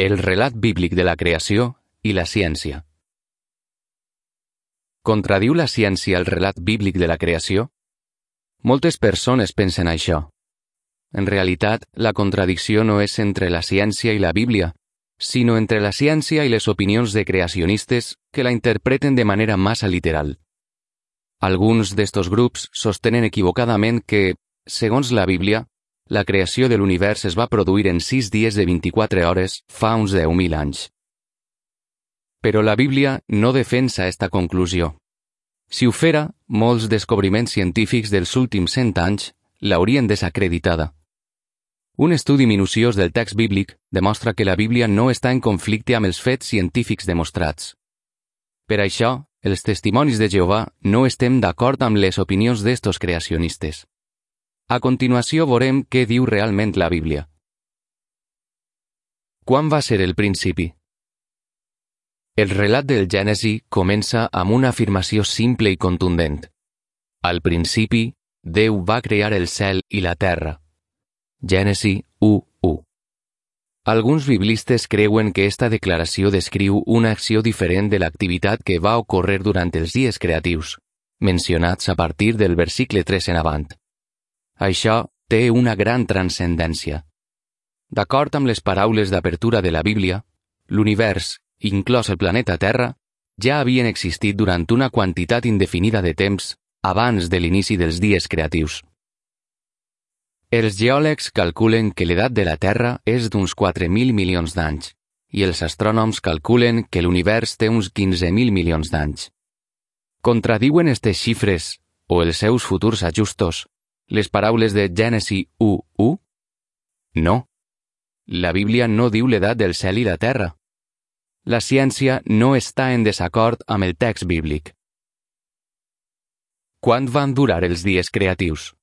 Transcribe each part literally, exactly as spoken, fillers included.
El relat bíblic de la creació i la ciència. Contradiu la ciència el relat bíblic de la creació? Moltes persones pensen això. En realitat, la contradicció no és entre la ciència i la Bíblia, sinó entre la ciència i les opinions de creacionistes que la interpreten de manera massa literal. Alguns d'estos grups sostenen equivocadament que, segons la Bíblia, la creació de l'univers es va produir en sis dies de vint-i-quatre hores fa uns deu mil anys. Però la Bíblia no defensa esta conclusió. Si ho fera, molts descobriments científics dels últims cent anys l'haurien desacreditada. Un estudi minuciós del text bíblic demostra que la Bíblia no està en conflicte amb els fets científics demostrats. Per això, els testimonis de Jehovà no estem d'acord amb les opinions d'estos creacionistes. A continuació veurem què diu realment la Bíblia. Quan va ser el principi? El relat del Gènesi comença amb una afirmació simple i contundent. Al principi, Déu va crear el cel i la terra. Gènesi u u. Alguns biblistes creuen que esta declaració descriu una acció diferent de l'activitat que va ocórrer durant els dies creatius, mencionats a partir del versicle tres en avant. Això té una gran transcendència. D'acord amb les paraules d'apertura de la Bíblia, l'univers, inclòs el planeta Terra, ja havien existit durant una quantitat indefinida de temps abans de l'inici dels dies creatius. Els geòlegs calculen que l'edat de la Terra és d'uns quatre mil milions d'anys, i els astrònoms calculen que l'univers té uns quinze mil milions d'anys. Contradiuen estes xifres, o els seus futurs ajustos, les paraules de Gènesi u u? No. La Bíblia no diu l'edat del cel i la terra. La ciència no està en desacord amb el text bíblic. Quant van durar els dies creatius?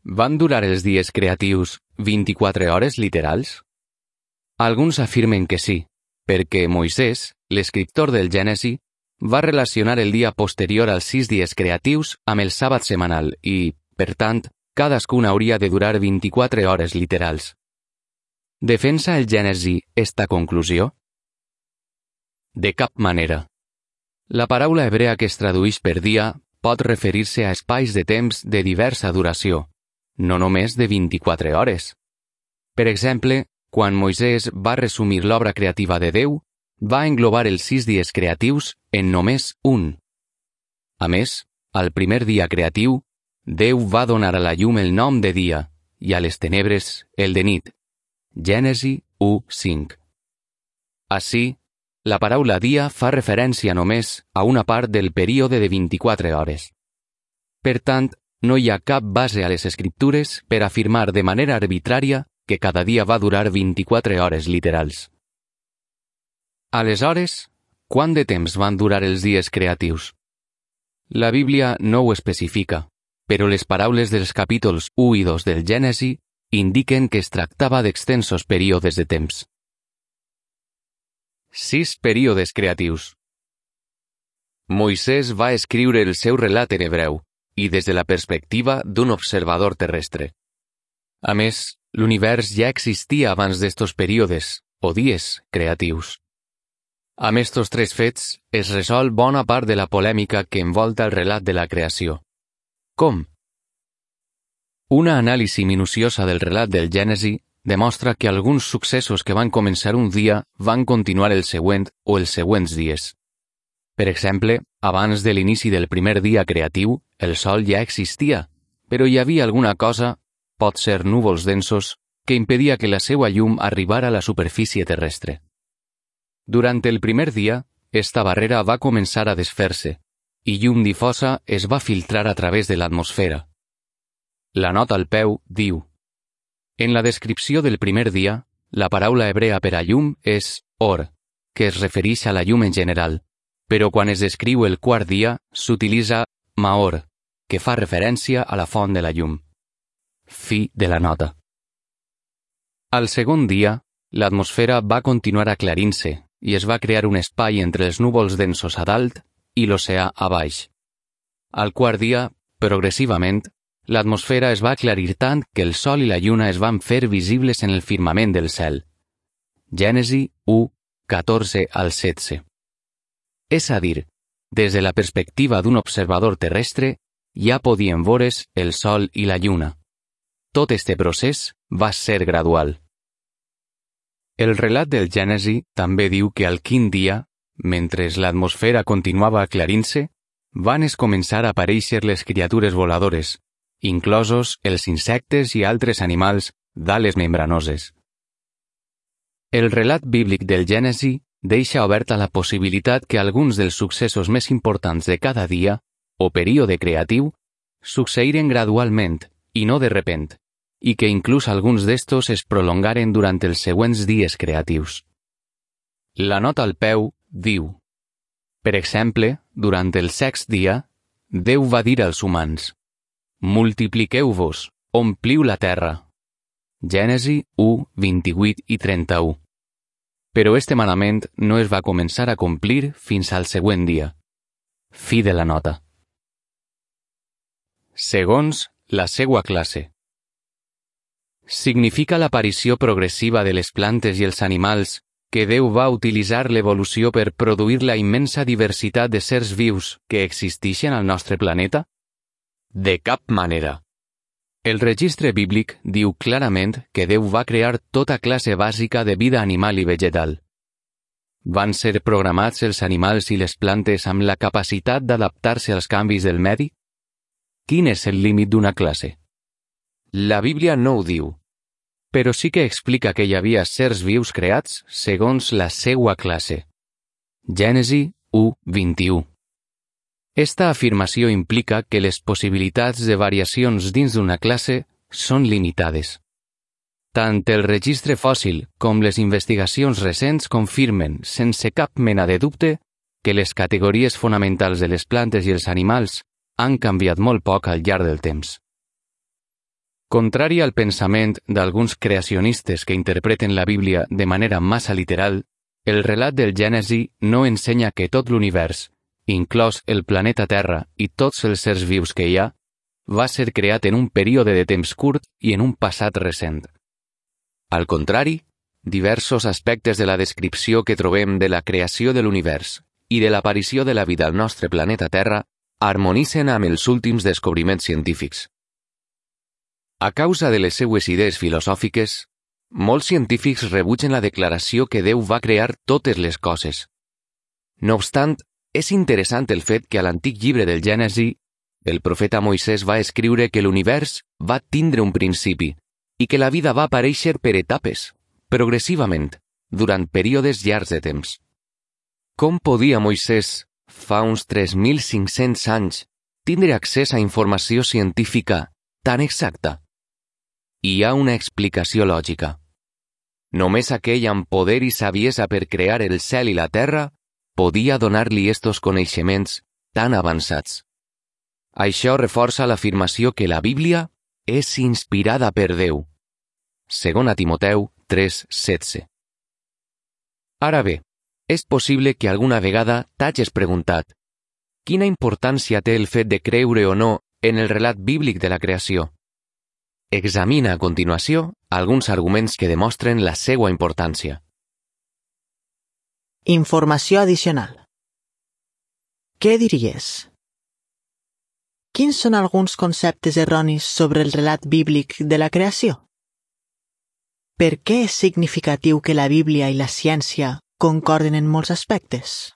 Van durar els dies creatius vint-i-quatre hores literals? Alguns afirmen que sí, perquè Moisès, l'escriptor del Gènesi, va relacionar el dia posterior als sis dies creatius amb el sàbat setmanal i, per tant, cadascun hauria de durar vint-i-quatre hores literals. Defensa el Gènesi esta conclusió? De cap manera. La paraula hebrea que es tradueix per dia pot referir-se a espais de temps de diversa duració, no només de vint-i-quatre hores. Per exemple, quan Moisès va resumir l'obra creativa de Déu, va englobar els sis dies creatius en només un. A més, al primer dia creatiu, Déu va donar a la llum el nom de dia i a les tenebres el de nit. Gènesi u cinc. Així, la paraula dia fa referència només a una part del període de vint-i-quatre hores. Per tant, no hi ha cap base a les escriptures per afirmar de manera arbitrària que cada dia va durar vint-i-quatre hores literals. Aleshores, quant de temps van durar els dies creatius? La Bíblia no ho especifica, però les paraules dels capítols u i dos del Gènesi indiquen que es tractava d'extensos períodes de temps. Sis períodes creatius. Moisès va escriure el seu relat en hebreu i des de la perspectiva d'un observador terrestre. A més, l'univers ja existia abans d'estos períodes, o dies, creatius. Amb estos tres fets es resol bona part de la polèmica que envolta el relat de la creació. Com? Una anàlisi minuciosa del relat del Gènesi demostra que alguns successos que van començar un dia van continuar el següent o els següents dies. Per exemple, abans de l'inici del primer dia creatiu, el sol ja existia, però hi havia alguna cosa, pot ser núvols densos, que impedia que la seva llum arribara a la superfície terrestre. Durant el primer dia, esta barrera va començar a desfer-se, i llum difosa es va filtrar a través de l'atmosfera. La nota al peu diu: en la descripció del primer dia, la paraula hebrea per a llum és or, que es refereix a la llum en general, però quan es descriu el quart dia, s'utilitza maor, que fa referència a la font de la llum. Fi de la nota. Al segon dia, l'atmosfera va continuar aclarint-se i es va crear un espai entre els núvols densos a dalt i l'oceà a baix. Al quart dia, progressivament, l'atmosfera es va aclarir tant que el sol i la lluna es van fer visibles en el firmament del cel. Gènesi u, catorze al setze. És a dir, des de la perspectiva d'un observador terrestre, ja podien veure's el sol i la lluna. Tot este procés va ser gradual. El relat del Gènesi també diu que al quint dia, mentre l'atmosfera continuava aclarint-se, van es començar a aparèixer les criatures voladores, inclosos els insectes i altres animals d'ales membranoses. El relat bíblic del Gènesi deixa oberta la possibilitat que alguns dels successos més importants de cada dia, o període creatiu, succeïren gradualment, i no de repent, i que inclús alguns d'estos es prolongaren durant els següents dies creatius. La nota al peu diu: per exemple, durant el sext dia, Déu va dir als humans: multipliqueu-vos, ompliu la terra. Gènesi u, vint-i-vuit i trenta-u. Però este manament no es va començar a complir fins al següent dia. Fi de la nota. Segons la seua classe. Significa l'aparició progressiva de les plantes i els animals que Déu va utilitzar l'evolució per produir la immensa diversitat de sers vius que existeixen al nostre planeta? De cap manera. El registre bíblic diu clarament que Déu va crear tota classe bàsica de vida animal i vegetal. Van ser programats els animals i les plantes amb la capacitat d'adaptar-se als canvis del medi? Quin és el límit d'una classe? La Bíblia no ho diu, però sí que explica que hi havia sers vius creats segons la seua classe. Gènesi u, vint-i-u. Esta afirmació implica que les possibilitats de variacions dins d'una classe són limitades. Tant el registre fòssil com les investigacions recents confirmen, sense cap mena de dubte, que les categories fonamentals de les plantes i els animals han canviat molt poc al llarg del temps. Contrari al pensament d'alguns creacionistes que interpreten la Bíblia de manera massa literal, el relat del Gènesi no ensenya que tot l'univers, inclòs el planeta Terra i tots els sers vius que hi ha, va ser creat en un període de temps curt i en un passat recent. Al contrari, diversos aspectes de la descripció que trobem de la creació de l'univers i de l'aparició de la vida al nostre planeta Terra harmonitzen amb els últims descobriments científics. A causa de les seues idees filosòfiques, molts científics rebutgen la declaració que Déu va crear totes les coses. No obstant, és interessant el fet que a l'antic llibre del Gènesi, el profeta Moisès va escriure que l'univers va tindre un principi i que la vida va aparèixer per etapes, progressivament, durant períodes llargs de temps. Com podia Moisès, fa uns tres mil cinc-cents anys, tindre accés a informació científica tan exacta? Hi ha una explicació lògica. Només aquell amb poder i saviesa per crear el cel i la terra podia donar-li estos coneixements tan avançats. Això reforça l'afirmació que la Bíblia és inspirada per Déu. Segona Timoteu tres, setze. Ara bé, és possible que alguna vegada t'hagis preguntat: quina importància té el fet de creure o no en el relat bíblic de la creació? Examina a continuació alguns arguments que demostren la seva importància. Informació addicional. Què diries? Quins són alguns conceptes erronis sobre el relat bíblic de la creació? Per què és significatiu que la Bíblia i la ciència concorden en molts aspectes?